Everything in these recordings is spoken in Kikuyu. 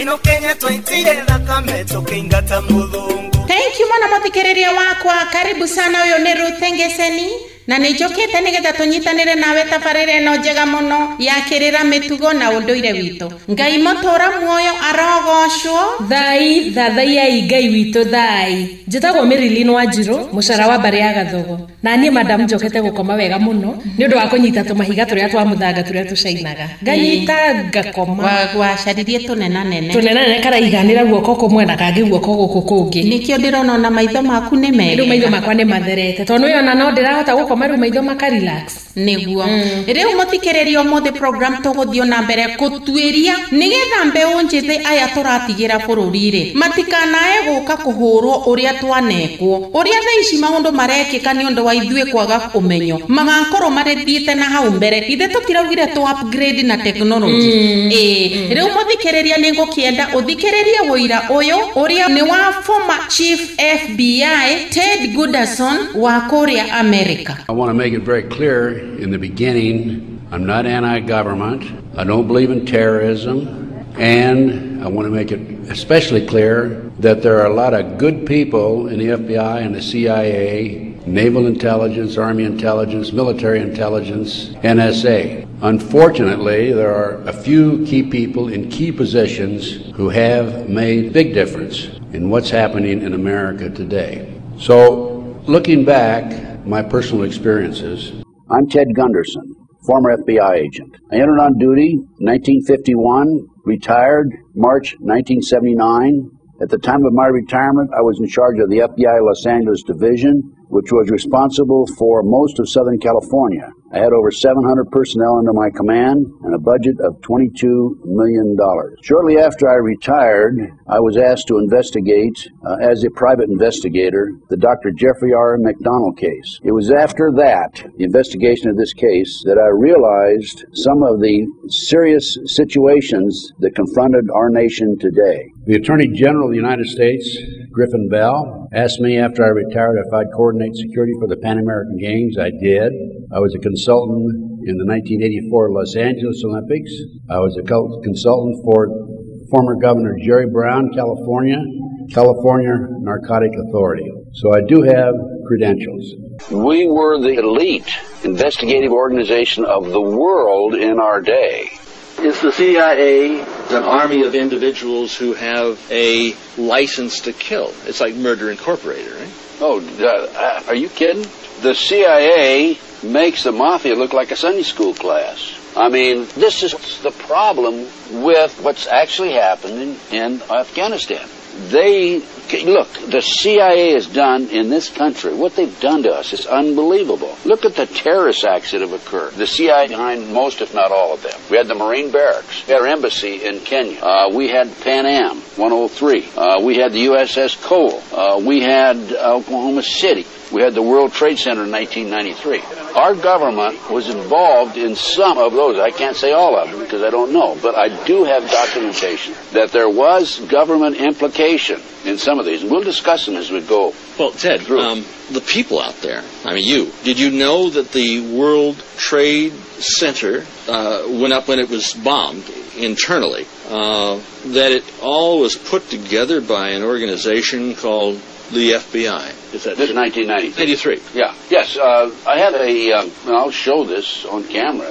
Ino Kenya twaitire thakame tukiingata muthungu. Thank you mwana muthikiriria wakwa, karibu sana. Uyu ni Ruth Ngeseni na nä njåkä nä getha tå nyitanä nawe tabarä ĩno njega mũno ya kĩrĩra mĩtugo na ũndũire witũ. Ngai mũtũra muoyo arogocwo. Thai thathaiai Ngai witũ thai. Njĩtagwo Marilyn Wanjiru, mũcara wa mbarĩ ya Gathogo. Na niĩ madam njokete gũkoma wega mũno nĩ ũndũ wa kũnyita tũmahiga tũrĩa twa mũthanga tũrĩa tũcainaga. Nganyita ngakoma. Wacaririe tũnenanene. Tũnenanene karaiganĩra guoko kũmwe na kangĩ guoko gũkũ kũngĩ. Nĩkĩo ndĩrona ona maitho maku nĩ mega. Rĩu maitho makwa nĩ matherete tondũ nĩona no ndĩrahota gũkoma rĩu maitho maka relax. Nĩguo. Rĩu mũthikĩrĩria ũmũthĩ program tũgũthiĩ na mbere gũtuĩria nĩgetha mbeũ njĩthĩ aya tũratigĩra bũrũri-rĩ matikanae gũka kũhũrwo ũrĩa twanekwo, ũrĩa thaa ici maũndũ marekĩka nĩ ũndũ wa ithuĩ kwaga ũmenyo, magakorwo marĩthiĩte na hau mbere. Ithe tũtiraugire tũ upgrade na technology. Rĩu mũthikĩrĩria nĩ ngũkĩenda ũthikĩrĩrie wũira ũyũ ũrĩa nĩ wa former chief FBI Ted Gunderson wa kũrĩa America. I want to make it very clear in the beginning, I'm not anti-government, I don't believe in terrorism, and I want to make it especially clear that there are a lot of good people in the FBI and the CIA, Naval Intelligence, Army Intelligence, Military Intelligence, NSA. Unfortunately, there are a few key people in key positions who have made big difference in what's happening in America today. So, looking back, my personal experiences. I'm Ted Gunderson, former FBI agent. I entered on duty in 1951, retired March 1979. At the time of my retirement, I was in charge of the FBI Los Angeles Division, which was responsible for most of Southern California. I had over 700 personnel under my command and a budget of $22 million. Shortly after I retired, I was asked to investigate, as a private investigator, the Dr. Jeffrey R. MacDonald case. It was after that, the investigation of this case, that I realized some of the serious situations that confronted our nation today. The Attorney General of the United States, Griffin Bell, asked me after I retired if I'd coordinate security for the Pan American Games. I did. I was a consultant in the 1984 Los Angeles Olympics. I was a consultant for former Governor Jerry Brown, California, California Narcotic Authority. So I do have credentials. We were the elite investigative organization of the world in our day. Is the CIA an army of individuals who have a license to kill? It's like Murder Incorporated, right? Oh, are you kidding? The CIA makes the mafia look like a Sunday school class. I mean, this is the problem with what's actually happening in Afghanistan. They, look, the CIA has done in this country, what they've done to us is unbelievable. Look at the terrorist acts that have occurred. The CIA behind most, if not all of them. We had the Marine Barracks, our embassy in Kenya. We had Pan Am 103. We had the USS Cole. We had Oklahoma City. We had the World Trade Center in 1993. Our government was involved in some of those. I can't say all of them because I don't know, but I do have documentation that there was government implication in some of these. And we'll discuss them as we go. Well, Ted, the people out there, I mean you, did you know that the World Trade Center went up when it was bombed internally, that it all was put together by an organization called the FBI? Is that this is 1993. 93. Yeah. Yes. I have a, I'll show this on camera,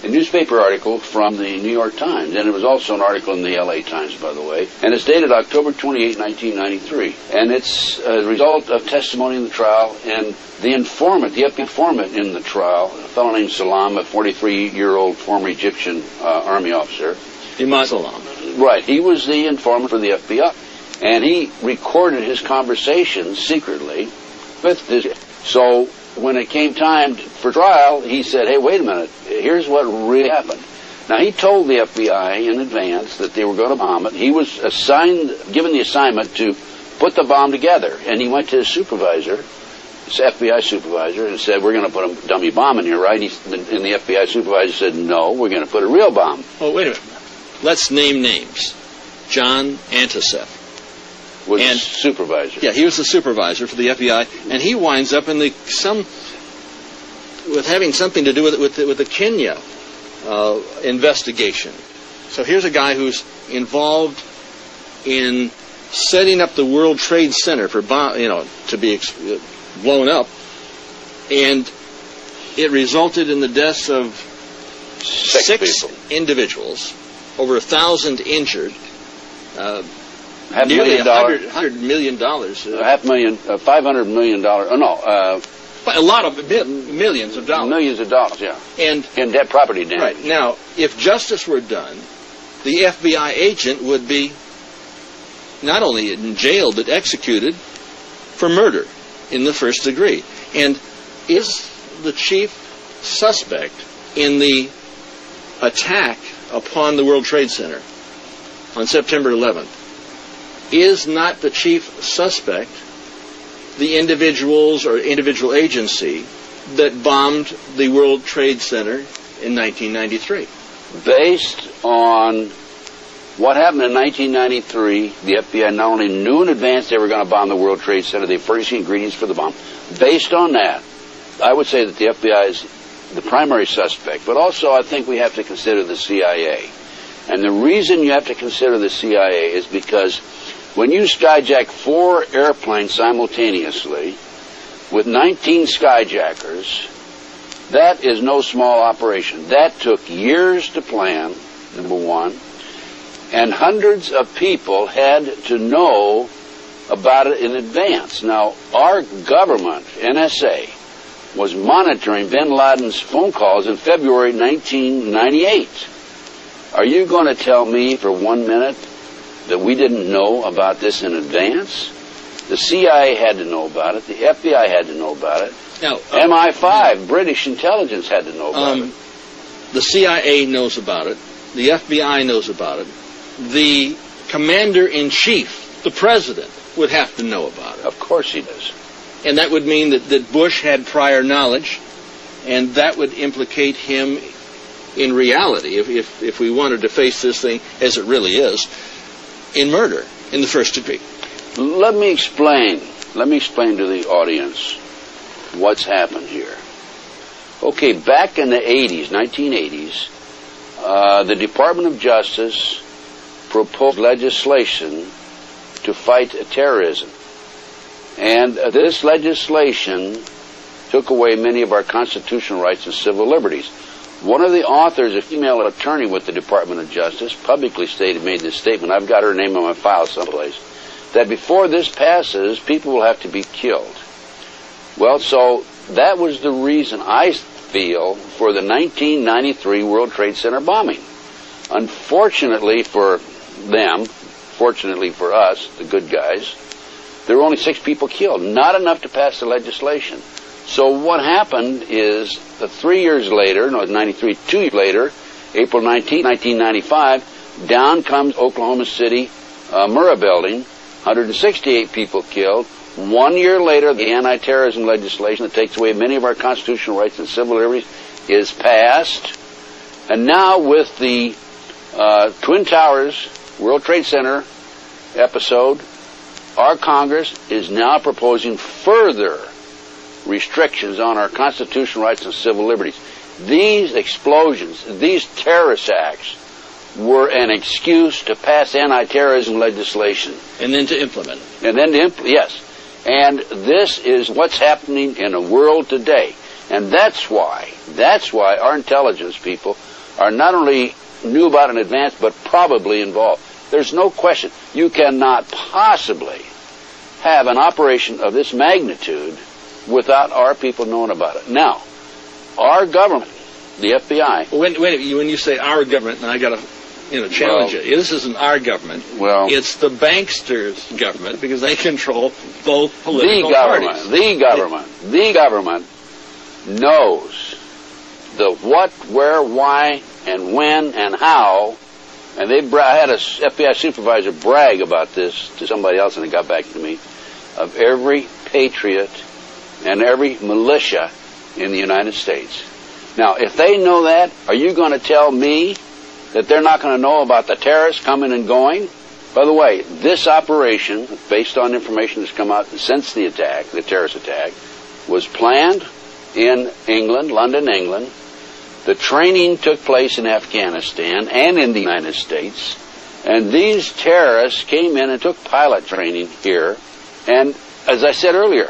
a newspaper article from the New York Times, and it was also an article in the LA Times, by the way, and it's dated October 28, 1993, and it's a result of testimony in the trial, and the informant, the FBI informant in the trial, a fellow named Salam, a 43-year-old former Egyptian army officer. Imad Salam. Right. He was the informant for the FBI. And he recorded his conversations secretly with this. So when it came time for trial, he said, hey, wait a minute, here's what really happened. Now, he told the FBI in advance that they were going to bomb it. He was assigned, given the assignment to put the bomb together. And he went to his supervisor, his FBI supervisor, and said, we're going to put a dummy bomb in here, right? And the FBI supervisor said, no, we're going to put a real bomb. Oh, wait a minute. Let's name names. John Anticev. Was the supervisor. Yeah, he was the supervisor for the FBI, and he winds up in the with having something to do with the Kenya investigation. So here's a guy who's involved in setting up the World Trade Center for to be blown up, and it resulted in the deaths of six individuals, over 1,000 injured, nearly $100 million. $500 million. Oh no. A lot of millions of dollars. Millions of dollars, yeah. And in debt property damage. Right. Now, if justice were done, the FBI agent would be not only in jail, but executed for murder in the first degree. And is the chief suspect in the attack upon the World Trade Center on September 11th, is not the chief suspect the individuals or individual agency that bombed the World Trade Center in 1993? Based on what happened in 1993, the FBI not only knew in advance they were going to bomb the World Trade Center, they furnished the ingredients for the bomb. Based on that, I would say that the FBI is the primary suspect, but also I think we have to consider the CIA. And the reason you have to consider the CIA is because when you skyjack 4 airplanes simultaneously with 19 skyjackers, that is no small operation. That took years to plan, number one, and hundreds of people had to know about it in advance. Now, our government, NSA, was monitoring bin Laden's phone calls in February 1998. Are you going to tell me for 1 minute that we didn't know about this in advance? The CIA had to know about it. The FBI had to know about it. Now, MI5, British intelligence, had to know about it. The CIA knows about it. The FBI knows about it. The commander-in-chief, the president, would have to know about it. Of course he does. And that would mean that Bush had prior knowledge, and that would implicate him in reality, if we wanted to face this thing as it really is, in murder in the first degree. Let me explain. Let me explain to the audience what's happened here. Okay, back in the 80s, 1980s, the Department of Justice proposed legislation to fight terrorism. And this legislation took away many of our constitutional rights and civil liberties. One of the authors, a female attorney with the Department of Justice, publicly made this statement. I've got her name on my file someplace, that before this passes, people will have to be killed. Well, so that was the reason, I feel, for the 1993 World Trade Center bombing. Unfortunately for them, fortunately for us, the good guys, there were only 6 people killed, not enough to pass the legislation. So what happened is, 3 years later, no, 93, 2 years later, April 19, 1995, down comes Oklahoma City Murrah Building, 168 people killed. 1 year later, the anti-terrorism legislation that takes away many of our constitutional rights and civil liberties is passed. And now with the Twin Towers, World Trade Center episode, our Congress is now proposing further restrictions on our constitutional rights and civil liberties. These explosions, these terrorist acts, were an excuse to pass anti-terrorism legislation. And then to implement it. And then to implement, yes. And this is what's happening in the world today. And that's why our intelligence people are not only knew about in advance, but probably involved. There's no question. You cannot possibly have an operation of this magnitude without our people knowing about it. Now, our government, the FBI. When you say our government, and I got to challenge it. This isn't our government. Well, it's the banksters' government, because they control both political parties. The government knows the what, where, why, and when, and how. And I had a FBI supervisor brag about this to somebody else, and it got back to me, of every patriot and every militia in the United States. Now, if they know that, are you going to tell me that they're not going to know about the terrorists coming and going? By the way, this operation, based on information that's come out since the attack, the terrorist attack, was planned in England, London, England. The training took place in Afghanistan and in the United States, and these terrorists came in and took pilot training here. And as I said earlier,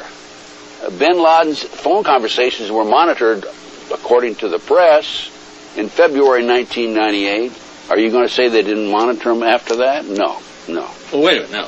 bin Laden's phone conversations were monitored, according to the press, in February 1998. Are you going to say they didn't monitor them after that? No, no. Well, wait a minute now.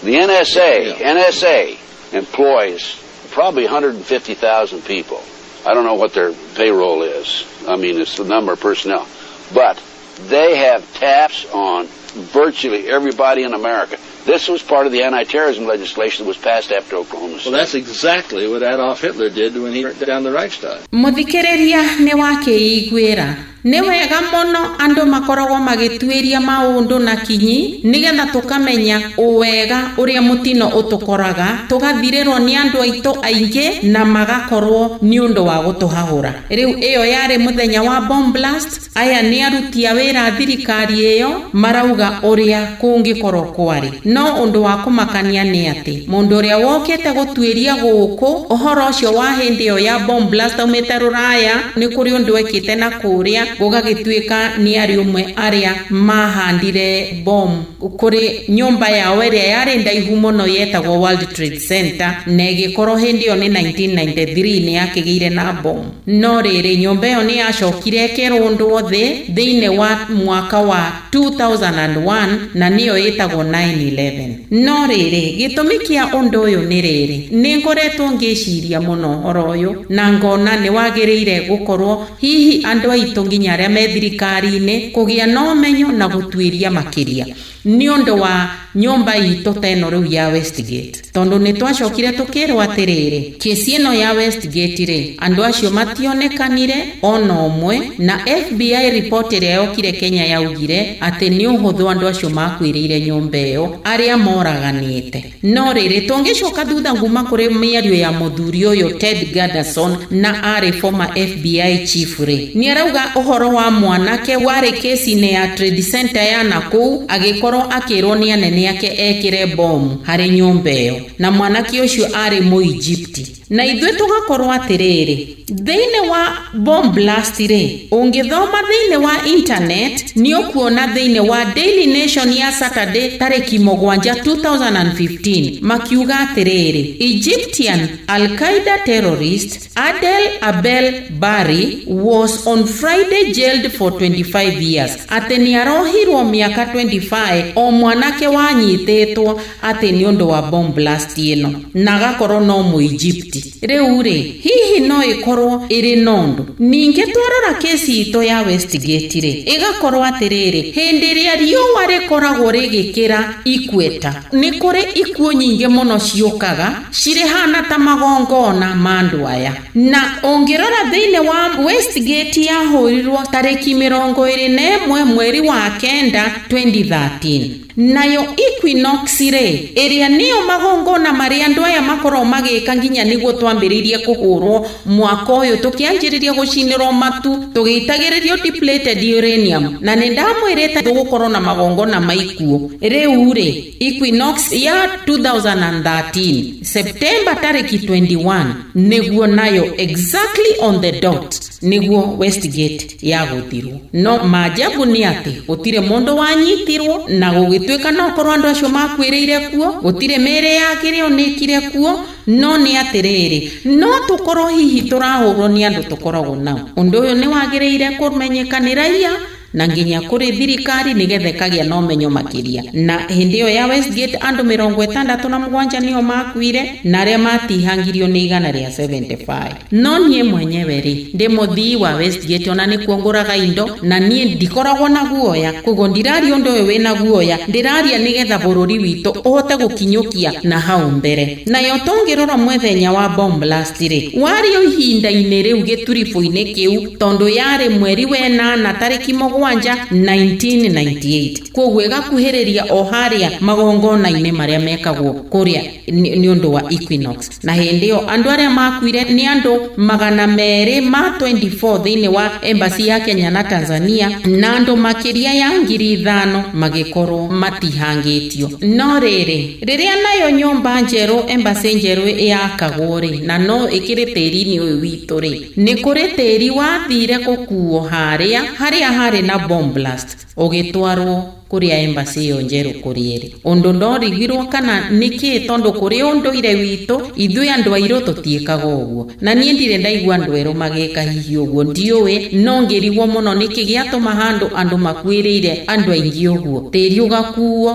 The NSA employs probably 150,000 people. I don't know what their payroll is. I mean, it's the number of personnel. But they have taps on virtually everybody in America. This was part of the anti-terrorism legislation that was passed after Oklahoma City. Well, that's exactly what Adolf Hitler did when he burnt down the Reichstag. Muthikiriria nĩ wakĩiguĩra. Nĩ wega mũno andũ makoragwo magĩtuĩria maũndũ na kinyi nĩgetha tũkamenya ũwega ũrĩa mũtino ũtũkoraga, tũgathirĩrwo nĩ andũ aitũ aingĩ na magakorwo nĩ ũndũ wa gũtũhahũra. Rĩu ĩyo yarĩ mũthenya wa bomb blast. Aya nĩ aruti a wĩra thirikari ĩyo marauga ũrĩa kũngĩkorwo kwarĩ. No ũndũ wa kũmakania nĩ atĩ mũndũ ũrĩa wokĩte gũtuĩria gũkũ ũhoro ũcio wa hĩndĩ ĩyo ya bomb blast aumĩte rũraya, nĩ kũrĩ ũndũ ekĩte na kũrĩa gũgagĩtuĩka nĩ arĩ ũmwe arĩa mahandire bomb kũrĩ nyũmba yao ĩrĩa yarĩ ndaihu mũno yetagwo World Trade Center, na ĩgĩkorwo hĩndĩ ĩyo nĩ 1993 nĩ yakĩgĩire na bomb. No rĩrĩ, nyũmba ĩyo nĩ yacokire ĩkĩrũndwo thĩ thĩinĩ wa mwaka wa 2001 na nĩyo ĩtagwo 9/11. No rĩrĩ, gĩtũmi kĩa ũndũ ũyũ nĩ rĩrĩ, nĩ ngoretwo ngĩciria mũno ũhoro ũyũ na ngona nĩ wagĩrĩire gũkorwo hihi andũ aitũ nginya arĩa me thirikari-inĩ kũgĩa na ũmenyo na gũtuĩria makĩria nĩ ũndũ wa nyũmba itũ ta ĩno rĩu ya Westgate. Tondũ nĩ twacokire tũkĩrwo atĩrĩrĩ, kĩsi ĩno ya Westgate rĩ, andũ acio mationekanire ona ũmwe, na FBI report ĩrĩa yokire Kenya yaugire atĩ nĩ ũhũthũ andũ acio makuĩrĩire nyũmba ĩyo arĩa moraganĩte. No rĩrĩ, tũngĩcoka thutha nguma kũrĩ mĩario ya mũthuri ũyũ Ted Gunderson na arĩ former FBI chief rĩ, nĩ arauga ũhoro wa mwanake warĩ kesi-inĩ ya Trade Center ya nakũu agĩkorwo akĩrwo nĩ anene ake ekĩre bomu harĩ nyũmba ĩyo, na mwanake ũcio arĩ Mũijipti. Na ithuĩ tũgakorwo atĩrĩrĩ, thĩinĩ wa bomb blast rĩ, ũngĩthoma thĩinĩ wa internet nĩ ũkuona thĩinĩ wa Daily Nation ya Saturday tarĩki 7 2015 makiuga atĩrĩrĩ, Egyptian Al-Qaeda terrorist Adel Abel Bari was on Friday jailed for 25 years. Atĩ nĩ arohirwo mĩaka 25 o mwanake wanyitĩtwo atĩ nĩ ũndũ wa bomb blast ĩno, na agakorwo no Mũijipti. Rĩu rĩ, hihi no ĩkorwo ĩrĩ nondu. Ningĩ twarora kesi itũ ya Westgate rĩ, ĩgakorwo atĩrĩrĩ, hĩndĩ ĩrĩa riũa rĩkoragwo rĩgĩkĩra ikweta, nĩ kũrĩ ikuũ nyingĩ mũno ciũkaga cirĩhana ta magongona ma andũ aya. Na ũngĩrora thĩinĩ wa Westgate yahũrirwo tarĩki 21 mweri wa 9 2013. Nayo Equinox rĩ, ĩrĩa nĩyo magongona marĩa andũ aya makoragwo magĩka nginya nĩguo twambĩrĩirie kũhũrwo mwaka ũyũ, tũkĩanjĩrĩria gũcinĩrwo matu, tũgĩitagĩrĩrio depleted uranium, na nĩ ndamwĩrĩte tũgũkorwo na magongona ma ikuũ. Rĩu rĩ, Equinox ya 2013 September tarĩki 21 nĩguo nayo exactly on the dot nĩguo Westgate yagũthirwo. No maajabu nĩ atĩ gũtirĩ mũndũ wanyitirwo, na gũgĩtuĩka no korwo andũ acio makuĩrĩire kuo, gũtirĩ mĩĩrĩ yakĩrĩ onĩkire kuo. No nĩ atĩrĩrĩ, no tũkorwo hihi tũrahũrwo nĩ andũ tũkoragwo nao. Ũndũ ũyũ nĩ wagĩrĩire kũmenyeka nĩ raia na nginya kũrĩ thirikari nĩgetha ĩkagĩa na ũmenyo makĩria. Na hĩndĩ ĩyo ya Westgate andũ 67 nĩo makuire, na arĩa matihangirio nĩ 175. No niĩ mwenyewe rĩ, ndĩ mũthii wa Westgate, ona nĩkuo ngũraga indo, na niĩ ndikoragwo na guoya. Koguo ndiraria ũndũ ũyũ wĩna guoya, ndĩraria nĩgetha bũrũri witũ ũhote gũkinyũkia na hau mbere. Nayo tũngĩrora mũthenya wa bomb blast rĩ, warĩ o ihinda-inĩ rĩu gĩturibũ-inĩ kĩu, tondũ yarĩ mweri wa 8 tarĩki 7 mũgwanja 1998. Koguo ĩgakuhĩrĩria o harĩa magongona-inĩ marĩa mekagwo kũrĩa nĩ ũndũ wa Equinox. Na hĩndĩ ĩyo andũ arĩa makuire nĩ andũ 224 thĩinĩ wa embassy ya Kenya na Tanzania, na andũ makĩria ya 5,000 magĩkorwo matihangĩtio. No rĩrĩ, rĩrĩa nayo nyũmba njerũ, embassy njerũ yakagwo rĩ, na no ĩkĩrĩ tĩri-inĩ ũyũ witũ rĩ, nĩ kũrĩ tĩri wathire gũkuo harĩa harĩ na bomb blast ũgĩtwarwo kũrĩa embassy ĩyo njerũ kũrĩ ĩrĩ. Ũndũ ndorigirwo kana nĩkĩ, tondũ kũrĩ ũndũire witũ ithuĩ andũ airũ tũtiĩkaga ũguo, na niĩ ndirĩ ndaigua andũ erũ magĩka hihi ũguo, ndiũĩ, no ngĩrigwo mũno nĩkĩ gĩatũma handũ andũ makuĩrĩire andũ aingĩ ũguo, tĩri ũgakuo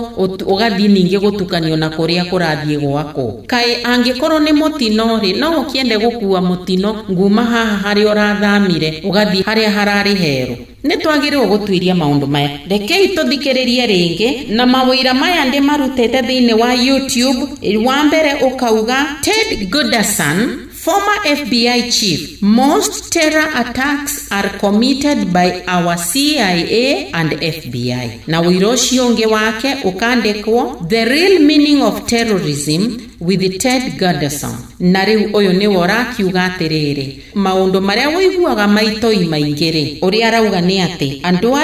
ũgathiĩ ningĩ gũtukanio na kũrĩa kũrathiĩ gwakwo. Kaĩ angĩkorwo nĩ mũtino rĩ, no ũkĩende gũkua mũtino nguma haha harĩa ũrathamire ũgathiĩ harĩa hararĩ herũ. Nĩ twagĩrĩirwo gũtuĩria maũndũ maya. Rekei tũthikĩrĩrie rĩngĩ na mawĩra maya ndĩmarutĩte thĩinĩ wa YouTube. Wa mbere ũkauga Ted Gunderson, former FBI chief, most terror attacks are committed by our CIA and FBI. Na ũira ũcio ũngĩ wake ũkandĩkwo The Real Meaning of Terrorism with Ted Gunderson. Na rĩu ũyũ nĩwe ũrakiuga atĩrĩrĩ, maũndũ marĩa ũiguaga maitoi maingĩ rĩ, ũrĩa arauga nĩ atĩ andũ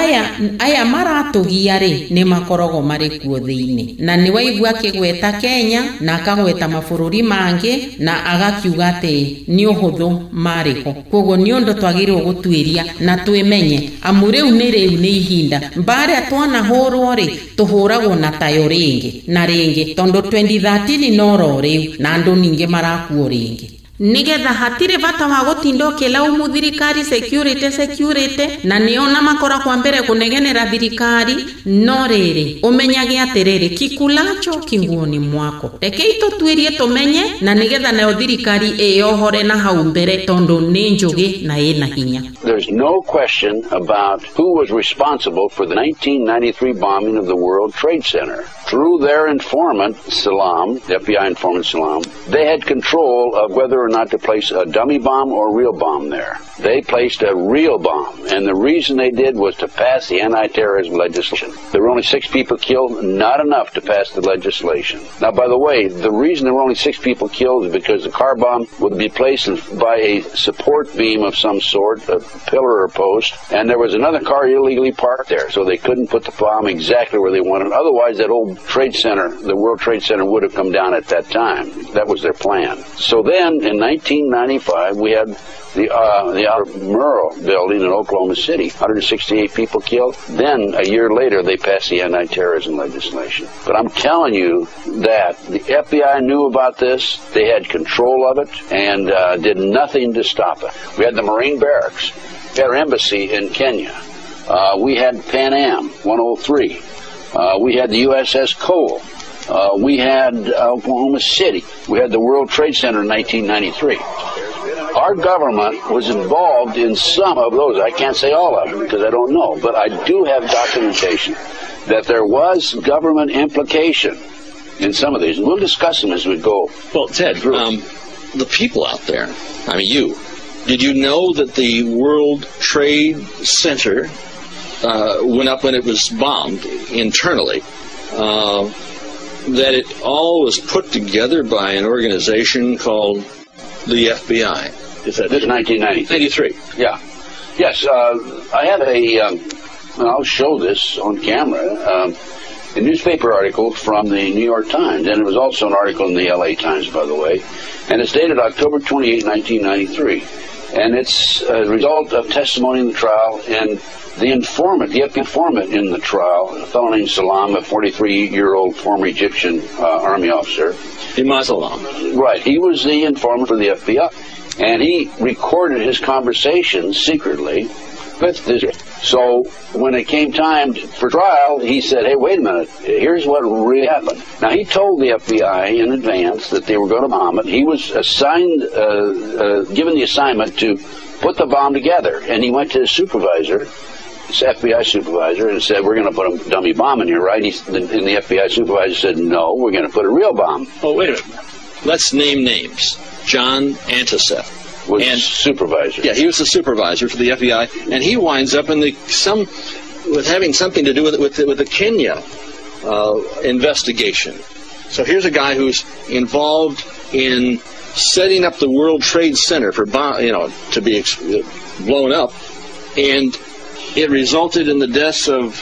aya maratũgia rĩ, nĩ makoragwo marĩ kuo thĩinĩ. Na nĩ waigua akĩgweta Kenya na akagweta mabũrũri mangĩ, na agakiuga atĩ nĩ ũhũthũ marĩ ho. Koguo nĩ ũndũ twagĩrĩirwo gũtuĩria na twĩmenye, amu rĩu nĩ ihinda mbarĩa twanahũrwo rĩ, tũhũragwo na tayo rĩngĩ na rĩngĩ, tondũ 2013 no rĩu na andũ ningĩ marakuo rĩngĩ. Nigetha hatirĩ bata wa gũtinda ũkĩlaumu thirikari security, na nĩona makora kwa mbere kũnegenera thirikari. No rĩrĩ, ũmenyage atĩrĩrĩ, kikulacho kinguoni mwako. Rekei tũtuĩrie tũmenye, na nĩgetha nayo thirikari ĩyohore na hau mbere, tondũ nĩ njũgĩ na ĩna hinya. There's no question about who was responsible for the 1993 bombing of the World Trade Center. Through their informant, Salam, the FBI informant Salam, they had control of whether or not to place a dummy bomb or a real bomb there. They placed a real bomb, and the reason they did was to pass the anti-terrorism legislation. There were only 6 people killed, not enough to pass the legislation. Now, by the way, the reason there were only 6 people killed is because the car bomb would be placed by a support beam of some sort, a pillar or post, and there was another car illegally parked there, so they couldn't put the bomb exactly where they wanted. Otherwise, that old trade center, the World Trade Center, would have come down at that time. That was their plan. So then, in 1995, we had the Murrah building in Oklahoma City, 168 people killed. Then, a year later, they passed the anti-terrorism legislation. But I'm telling you that the FBI knew about this, they had control of it, and did nothing to stop it. We had the Marine Barracks, we had our embassy in Kenya, we had Pan Am 103, we had the USS Cole, we had Oklahoma City, we had the World Trade Center in 1993. Our government was involved in some of those. I can't say all of them because I don't know, but I do have documentation that there was government implication in some of these. And we'll discuss them as we go. Well, Ted, the people out there, I mean you, did you know that the World Trade Center went up when it was bombed internally, that it all was put together by an organization called the FBI? Is that this 1993? 93. Yeah. Yes, I have a, I'll show this on camera, a newspaper article from the New York Times, and it was also an article in the LA Times, by the way, and it's dated October 28, 1993. And it's a result of testimony in the trial, and the informant, the FBI informant in the trial, a fellow named Salam, a 43-year-old former Egyptian army officer. Imam Salam. Right. He was the informant for the FBI, and he recorded his conversations secretly with this. So when it came time for trial, he said, hey, wait a minute, here's what really happened. Now, he told the FBI in advance that they were going to bomb it. He was assigned, given the assignment to put the bomb together, and he went to his supervisor, his FBI supervisor, and said, we're going to put a dummy bomb in here, right? And the FBI supervisor said, no, we're going to put a real bomb. Oh, wait a minute. Let's name names. John Anticev. Was and, supervisor. Yeah, he was the supervisor for the FBI, and he winds up in the some with having something to do with the Kenya investigation. So here's a guy who's involved in setting up the World Trade Center for to be blown up, and it resulted in the deaths of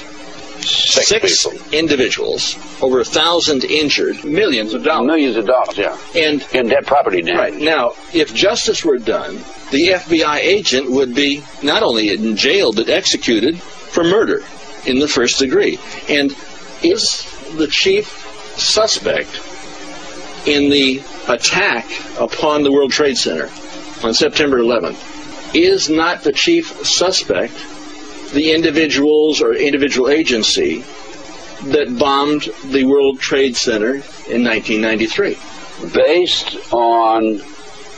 six individuals, over 1,000 injured, millions of dollars. Millions of dollars, yeah. And dead property damage. Right. Now, if justice were done, the FBI agent would be not only in jail, but executed for murder in the first degree. And is the chief suspect in the attack upon the World Trade Center on September 11th, is not the chief suspect the individuals or individual agency that bombed the World Trade Center in 1993? Based on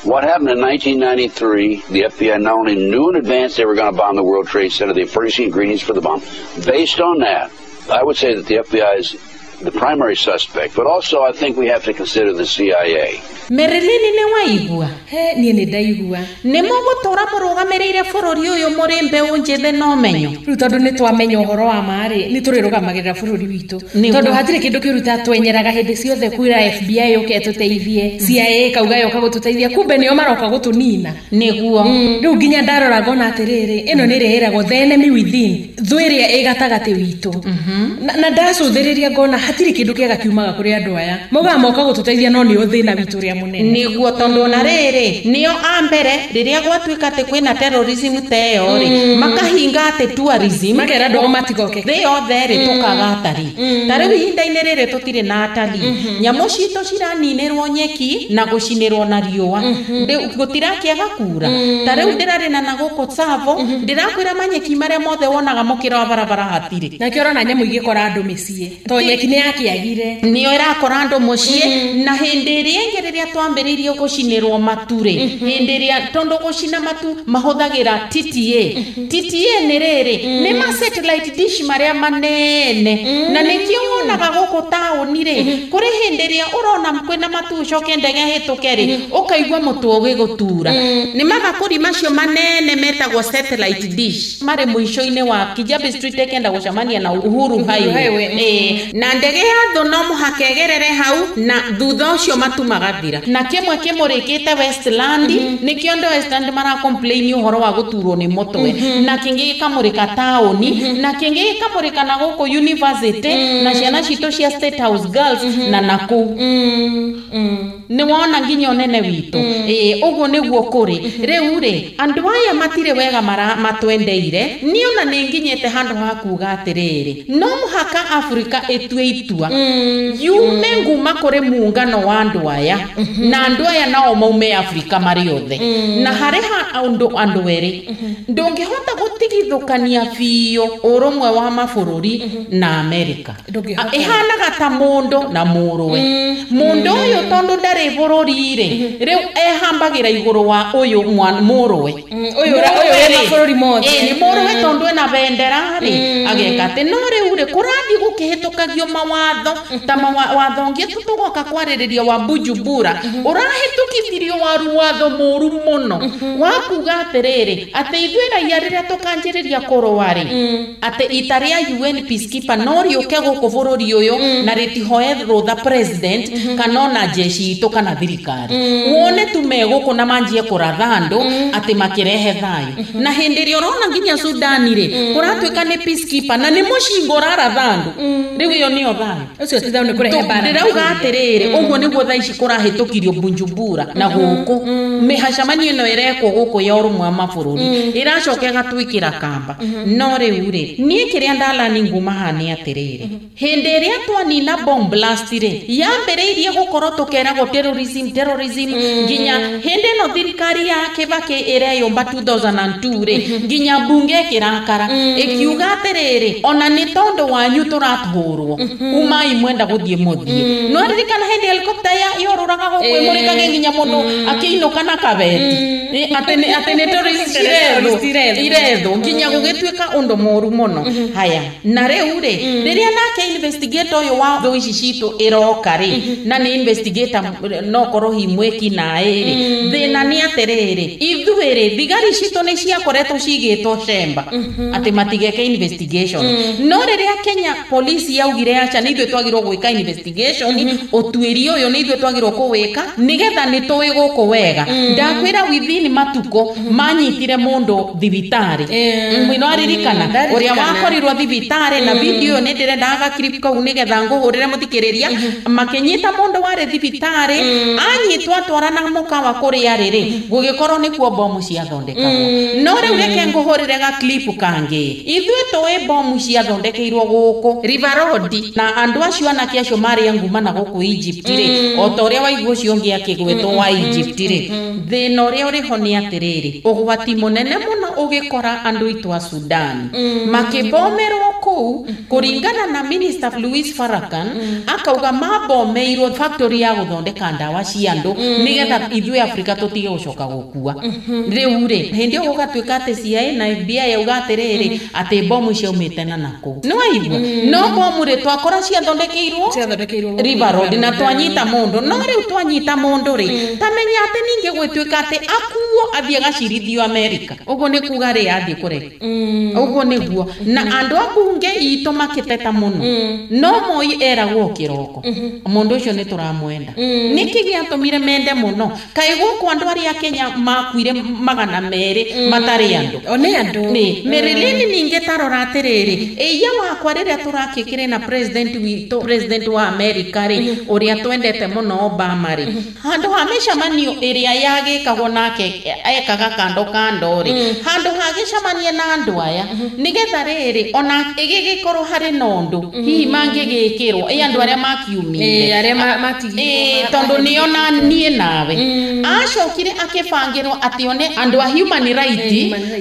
what happened in 1993, the FBI not only knew in advance they were going to bomb the World Trade Center, they furnished the ingredients for the bomb. Based on that, I would say that the FBI is the primary suspect, but also I think we have to consider the CIA. Marilyn nĩ waigua? He, niĩ nĩ ndaigua. Nĩ mũgũtũra mũrũgamĩrĩire bũrũri ũyũ mũrĩ mbeũ njĩthĩ na ũmenyo? Rĩu tondũ nĩ twamenya ũhoro wa ma rĩ, nĩ tũrĩrũgamagĩrĩra bũrũri witũ. Tondũ hatirĩ kĩndũ kĩũru ta twenyeraga hĩndĩ ciothe kwĩra FBI yũke ĩtũteithie, CIA ĩkauga yoka gũtũteithia, kumbe nĩo maroka gũtũnina. Nĩguo. Rĩu nginya ndarora ngona atĩrĩrĩ, ĩno nĩ ĩrĩa ĩragwo the enemy within, thũ ĩrĩa ĩ gatagatĩ witũ. Na ndacũthĩrĩria ngona hatirĩ kĩndũ kĩega kiumaga kũrĩ andũ aya. Maugaga moka gũtũteithia no nĩo thĩna witũ ũrĩa mũnene. Nĩguo, tondũ na rĩrĩ nĩo a mbere rĩrĩa gwatuĩka atĩ kwĩna terrorism ta ĩyo rĩ, makahinga atĩ tourism, makera andũ ao matigoke. Thĩ yothe rĩ, tũkaga atarii. Ta rĩu ihinda-inĩ rĩrĩ tũtirĩ na atarii. Nyamũ citũ ciraninĩrwo nyeki na gũcinĩrwo na riũa. Rĩu gũtirakĩaga kura. Ta rĩu ndĩrarĩ na gũkũ Tsavo, ndĩrakwĩra manyeki marĩa mothe wonaga mũkĩra wa barabara hatirĩ. Nakĩo ũrona nyamũ igĩkora andũ mĩciĩ. To nyeki nĩ yakĩagire. Nĩyo ĩrakora andũ mũciĩ, na hĩndĩ ĩrĩa ĩngĩ rĩrĩa twambĩrĩirie gũcinĩrwo matu rĩ, hĩndĩ ĩrĩa tondũ gũcina matu mahũthagĩra TTA. TTA nĩ rĩrĩ, nĩ ma satellite dish marĩa manene, na nĩkĩo wonaga gũkũ taũni rĩ, kũrĩ hĩndĩ ĩrĩa ũrona kwĩna matu ũcoke ndege ĩhĩtũke rĩ, ũkaigua mũtwe ũgĩgũtura. Nĩ mabakũri macio manene metagwo satellite dish, marĩ mũico-inĩ wa Kijabe Street ĩkenda gũcemania na Uhuru Highway. Na ndege ya thũ no mũhaka ĩgerere hau, na thutha ũcio matu magathira. Na kĩmwe kĩmũrĩkĩte Westland, nĩkĩo andũ Westland mara complain ũhoro wa gũturwo nĩ mũtwe, na kĩngĩ gĩkamũrĩka taũni, na kĩngĩ gĩkamũrĩka na gũkũ university, na ciana citũ cia State House Girls, na nakũu. Nĩ wona nginya ũnene witũ. Ũguo nĩguo kũrĩ. Rĩu rĩ, andũ aya matirĩ wega matwendeire. Niĩ ona nĩ nginyĩte handũ ha kuga atĩrĩrĩ, no mũhaka Afrika ĩtue itua, yume nguma kũrĩ muungano wa andũ aya, na andũ aya nao maume Afrika marĩ othe. Na harĩ andũ erĩ, ndũngĩhota gũtigithũkania biũ ũrũmwe wa mabũrũri na Amerika. Ĩhanaga ta mũndũ na mũrũwe. Mũndũ ũyũ tondũ ndarĩ bũrũri rĩ, rĩu ehambagĩra igũrũ wa ũyũ mũrũwe. Ũyũ wĩ mabũrũri mothe. Nĩ mũrũwe tondũ ena bendera rĩ, ageka atĩ no rĩu rĩ, kũrathiĩ gũkĩhĩtũkagio mawatho ta mawatho ũngĩ tũgoka kwarĩrĩria wa Bujumbura, ũrahĩtũkithirio waru watho mũru mũno wa kuga atĩrĩrĩ, atĩ ithuĩ raia rĩrĩa tũkanjĩrĩria kũrũa rĩ, atĩ ita rĩa UN peacekeeper no rĩũke gũkũ bũrũri ũyũ na rĩtihoe rũtha president kana ona jeshi itũ kana thirikari. Wone tu megũkũ na manjie kũratha andũ atĩ makĩrehe thayũ. Na hĩndĩ ĩrĩa ũrona nginya Sudani rĩ, kũratuĩka nĩ peacekeeper na nĩ mũcinga ũraratha andũ. Rĩu ĩyo nĩyo thayũ. Ũcio ti thayũ, nĩ kũrehe mbara. Ndĩrauga atĩrĩrĩ, ũguo nĩguo thaa ici kũrahĩtũkirio Bujumbura na gũkũ. Mĩhacamanio ĩno ĩrekwo gũkũ ya ũrũmwe wa mabũrũri ĩracoka ĩgatwĩkĩra kamba. No rĩu rĩ, niĩ kĩrĩa ndalani nguma haha nĩ atĩrĩrĩ, hĩndĩ ĩrĩa twanina bomb blast rĩ, yambĩrĩirie gũkorwo tũkeragwo terrorism terrorism, nginya hĩndĩ ĩno thirikari ya Kibaki ĩreyũmba 2002 rĩ, nginya bunge ĩkĩrakara ĩkiuga atĩrĩrĩ, ona nĩ tondũ wanyu tũratũrwo. Umai mwenda guthie muthie. No ririkana hindi helicopter ya yoruraga guku imurikage nginya mundu akiinuka na kabeti. Ati ni tourist iretho nginya gugituika undu muru muno. Haya na riu ri riria nake investigator uyu wa thu ici citu iroka ri na ni investigator no korwo hi mweki nae ri thina ni atiriri ithuĩ ri thigari citu ni ciakoretwo cigitwo cemba ati matigeke investigation. No riria Kenya police yaugire acha ni ithuĩ twagirwo gwika investigation utuĩri uyu ni ithuĩ twagirwo kuwika nigetha ni tũĩ gũkũ wega. Ndakwĩra within matuko manyitire mundu thibitari mwino aririkana uria wakorirwo thibitari na video ni ndirenda ga clip kau nigetha nguhurire muthikiriria makinyita mundu wari thibitari anyitwa atwarana mukawa kuria riri gugikorwo nikuo bomu ciathondekagwo. No riu reke nguhurire ga clip kangi ithuĩ tũĩ bomu ciathondekeirwo guku River Road na andu acio anake acio mari nguma na guku Egypt ri o ta uria waigua ucio ungi akigwetwo wa Egypt ri thina uria uriho ni atiriri ugwati munene muno ugikora andu itu a Sudan makibomerwo kuu kuringana na Minister Louis Farrakhan akauga mabomeirwo factory ya guthondeka ndawa cia andu nigetha ithuĩ Afrika tutige gucoka gukua. Riu ri hindi gugatuika ati CIA na FBI yauga atiriri ati bomu ciaumite na naku no aigua no bomu ri twakora ciathondekeirwo River Road na twanyita mundu. No riu twanyita mundu ri tamenya ati ningi gwituika ati akuo athie gacirithio America uguo ni kuga ri athie kure uguo niguo na andu a bunge itu makiteta muno. No Moi eragwo kiroko mundu ucio ni turamwenda. Niki giatumire mende muno kai guku andu aria Kenya makuire 200 matari andu one andu ni Marilyn ninge tarora atiriri iya wakwa riria turakikire na president witu president wa America ri uria twendete muno Obama ri handu ha micamanio iria yagikagwo nake ekaga kando kando ri handu ha gicamanie na andu aya nigetha riri ona igigikorwo hari na undu hihi mangigikirwo i andu aria makiumire aria matigirwo tondu niona nie nawe acokire akibangirwo ati one andu a human right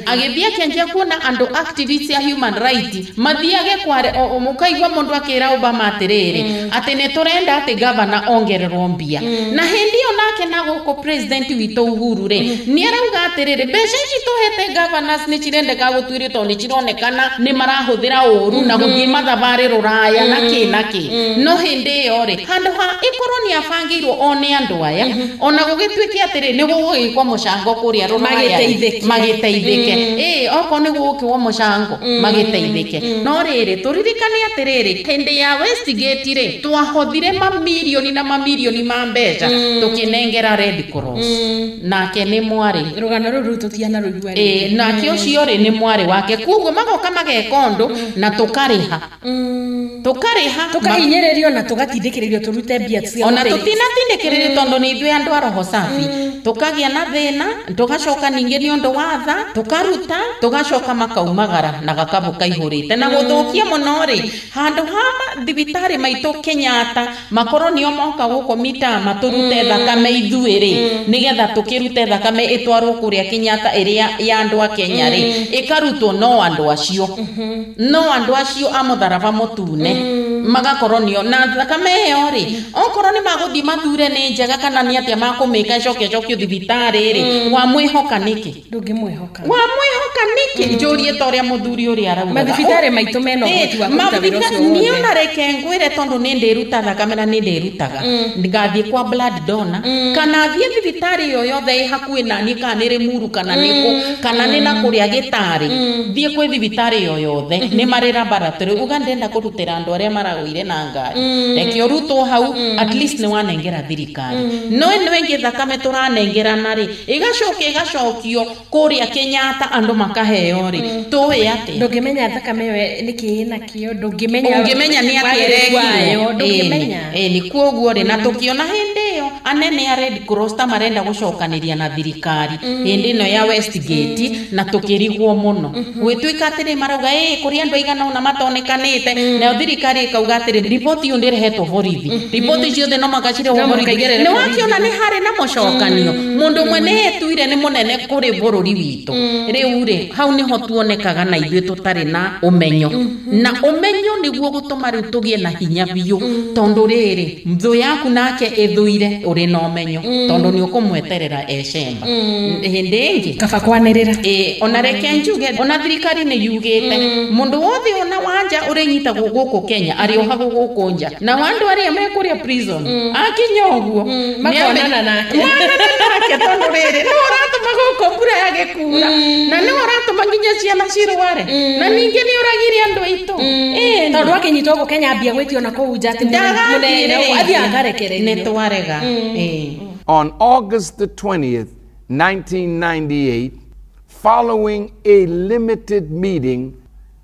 agithie akianjia kuona andu activists a human right mathiage kware mukaigua mundu akira Obama atiriri ati ni turenda ati governor ongererwo mbia. Na hindi yo nake na guku president witu Uhuru ri ni arauga atiriri mbeca ici tuhete governors ni cirendeka gutuirio tondu ni cironekana ni marahuthira uru na guthie mathabarĩ ruraya na ki na ki. No hindi iyo ri handu ha ikorwo ni abangirwo one andu aya ona gugituike atiri ni gugugikwo mucango kuria ruraya magiteithike oko ni gugukwo mucango magiteithike. No riri turirikane atiriri hindi ya Westgate ri twahothire mamirioni na mamirioni ma mbeca tukinengera Red Cross nake ni mwari rugano ruru tutiana ruigua ri nake ucio ri ni mwari wake kuguo magoka mageka undu na tukariha tukariha tukahinyiririo na tugatindikiririo turute mbia cia ona tutinatindikiririo tondu ni ithuĩ andu a roho safi tukagia na thina tugacoka ningi ni undu wa tha tukaruta tugacoka makaumagara na gakabu kaihurite na guthukia muno ri handu ha thibitari maitu Kenyatta makorwo nio moka guku mitama turute thakame ithuĩ ri nigetha tukirute thakame itwarwo kuria Kenyatta iria ya andu a Kenya ri ikarutwo no andu acio no andu acio a mutharaba mutune magakorwo nio na thakame iyo ri okorwo ni maguthi mathure ni njega kana ni atia makumika icoke cokio thibitari ri wamwihoka niki ndungimwihoka wamwihoka niki njurie ta uria muthuri uria arauga mathibitari maitu mena ũhoti wa kũruta wĩra ũcio ni ona reke ngwire tondu ni ndiruta thakame na ni ndirutaga ngathie kwa blood donor kana thie thibitari yo yothe i hakuhi nani kana ni Limuru kana niku kana ni na kuria Gitari thie kwi thibitari yo yothe ni mari laboratory uga ndenda kurutira andu aria maragwire na ngari reke urutwo hau at least ni wanengera thirikari no ino ingi thakame turanengerana ri igacoka igacokio kuria Kenyatta andu makaheo ri tuwi ati ndungimenya thakame ĩyo niki nakio ndungimenya ungimenya ni ati ndungimenya ni kuoguo ri na tukiona hindi iyo anene a Red Cross ta marenda gũcokanĩria na thirikari hĩndĩ ĩno ya Westgate na tũkĩrigwo mũno gwĩtuĩka atĩrĩ marauga kũrĩ andũ aigana ũna matonekanĩte nayo thirikari ĩkauga atĩrĩ riboti ĩyo ndĩrehetwo borithi riboti ciothe no makacirehwo borithi nĩ wakiona nĩ harĩ na mũcokanio mũndũ ũmwe nĩ etuire nĩ mũnene kũrĩ bũrũri witũ rĩu rĩ hau nĩho tuonekaga na ithuĩ tũtarĩ na ũmenyo na ũmenyo nĩguo gũtũma rĩu tũgĩe na hinya biũ tondũ rĩrĩ thũ yaku nake ĩthũire ũrĩ na ũmenyo tondũ nĩ ũkũmweterera ecemba hĩndĩ ĩngĩ kaba kwanĩrĩra ona reke njuge ona thirikari nĩ yugĩte mũndũ wothe ona wanja ũrĩnyitagwo gũkũ Kenya arĩohagwo gũkũ nja na andũ arĩa me kũrĩa prison akinya ũguo makonana nake tondũ rĩrĩ nĩ ũratũma gũkũ mbura yage kura na nĩ ũratũma nginya ciana cirware na ningĩ nĩ ũragire andũ aitũ tondũ akinyitwo gũkũ Kenya ambia gwĩtio na kũu nja atĩ mũnene athiĩ akarekererio nĩ twarega. On August the 20th, 1998, following a limited meeting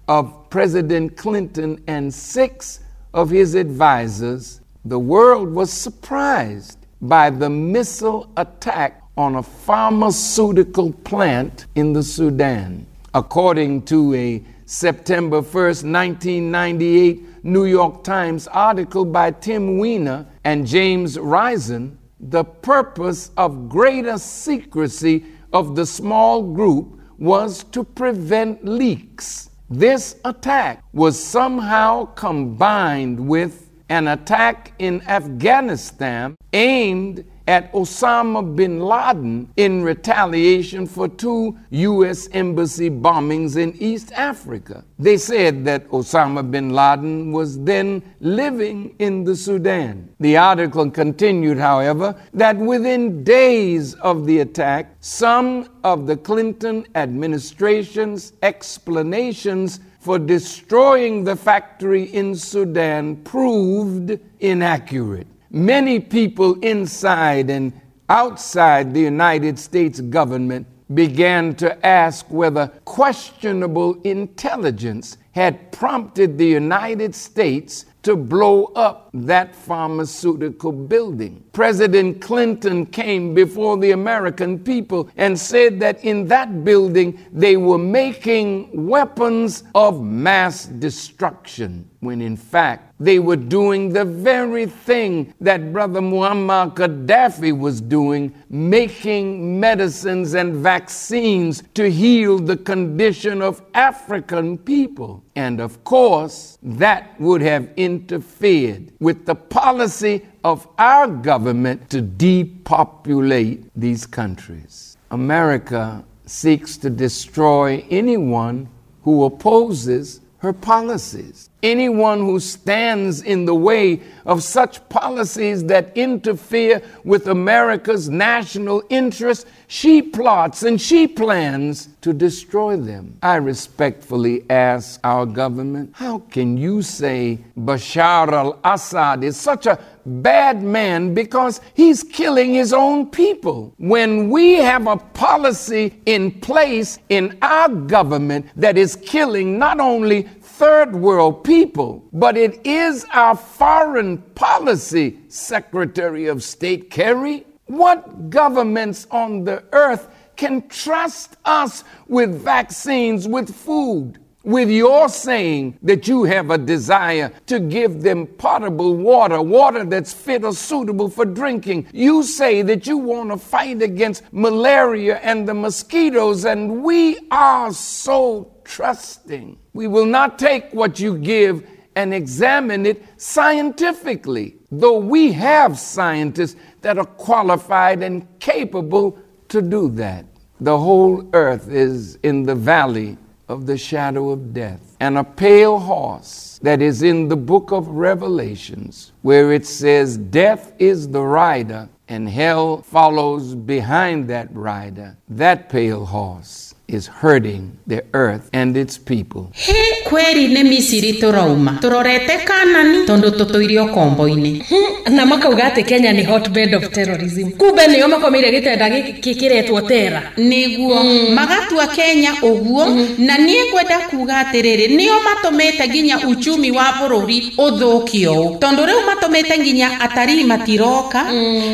of President Clinton and 6 of his advisors, the world was surprised by the missile attack on a pharmaceutical plant in the Sudan. According to a September 1st, 1998 New York Times article by Tim Weiner and James Risen, the purpose of greater secrecy of the small group was to prevent leaks. This attack was somehow combined with an attack in Afghanistan aimed at Osama bin Laden in retaliation for 2 U.S. embassy bombings in East Africa. They said that Osama bin Laden was then living in the Sudan. The article continued, however, that within days of the attack, some of the Clinton administration's explanations for destroying the factory in Sudan proved inaccurate. Many people inside and outside the United States government began to ask whether questionable intelligence had prompted the United States to blow up that pharmaceutical building. President Clinton came before the American people and said that in that building they were making weapons of mass destruction, when in fact they were doing the very thing that Brother Muammar Gaddafi was doing, making medicines and vaccines to heal the condition of African people. And of course, that would have interfered with the policy of our government to depopulate these countries. America seeks to destroy anyone who opposes her policies. Anyone who stands in the way of such policies that interfere with America's national interests, she plots and she plans to destroy them. I respectfully ask our government, how can you say Bashar al-Assad is such a bad man because he's killing his own people, when we have a policy in place in our government that is killing not only third world people, but it is our foreign policy, Secretary of State Kerry? What governments on the earth can trust us with vaccines, with food, with your saying that you have a desire to give them potable water, water that's fit or suitable for drinking? You say that you want to fight against malaria and the mosquitoes, and we are so trusting. We will not take what you give and examine it scientifically, though we have scientists that are qualified and capable to do that. The whole earth is in the valley of the shadow of death, and a pale horse that is in the book of Revelations, where it says death is the rider and hell follows behind that rider. That pale horse is hurting the earth and its people. He kweri nĩ Misiri tũrauma tũrorete Kanani tondũ tũtũire ũkombo-inĩ. Na makauga atĩ Kenya nĩ hotbed of terrorism, kumbe nĩo makomeire gĩtanda gĩkĩ kĩretwo tera. Nĩguo magatua Kenya ũguo. Na niĩ ngwenda kuga atĩrĩrĩ, nĩo matũmĩte nginya uchumi wa bũrũri ũthũkio ũũ, tondũ rĩu matũmĩte nginya atarii matiroka.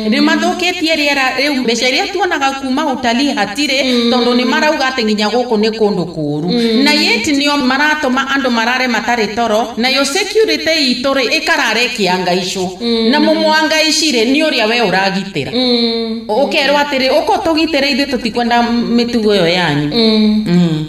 Nĩ mathũkĩtie rĩera. Rĩu mbeca iria tuonaga kuma utalii hatirĩ, tondũ nĩ marauga atĩ nginya gũkũ nĩ kũndũ kũũru, na yet nĩo maratũma andũ marare matarĩ toro, nayo security itũ rĩ ĩkarara ĩkĩangaicwo, na mũmwangaici rĩ nĩ ũrĩa we ũragitĩra. Ũkerwo atĩrĩ, ũko tũgitĩre, ithuĩ tũtikwenda mĩtugo ĩyo yanyu.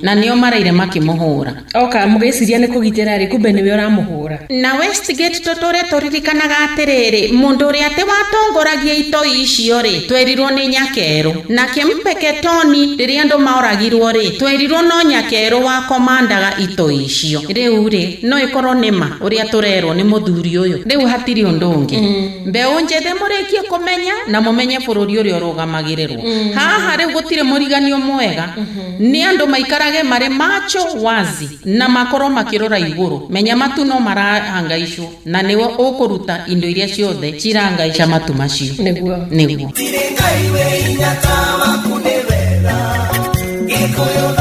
Na nĩo maraire makĩmũhũra. Oka mũgĩciria nĩ kũgitĩra rĩ, kumbe nĩwe ũramũhũra. Na Westgate tũtũre tũririkanaga atĩrĩrĩ, mũndũ ũrĩa atĩ watongoragia itoi icio rĩ, twerirwo nĩ Nyakerũ. Nake Mpeketoni rĩrĩa andũ maoragirwo rĩ, twerirwo no Nyakerũ wakomandaga itoi icio. Rĩu rĩ, no ĩkorwo nĩ ma ũrĩa tũrerwo nĩ mũthuri ũyũ. Rĩu hatirĩ ũndũ ũngĩ. Mbeũ njĩthĩ, mũrĩkie kũmenya na mũmenye bũrũri ũrĩa ũrũgamagĩrĩrwo haha. Rĩu gũtirĩ mũriganio mwega, nĩ andũ maikarage marĩ macho wazi na makorwo makĩrora igũrũ. Menya matu no marahangaicwo, na nĩwe ũkũruta indo iria ciothe cirangaica matu macio. Nĩguo. Nĩguo. Tirĩ Ngai wĩ hinya ta waku, nĩ wega Gĩkũyũ.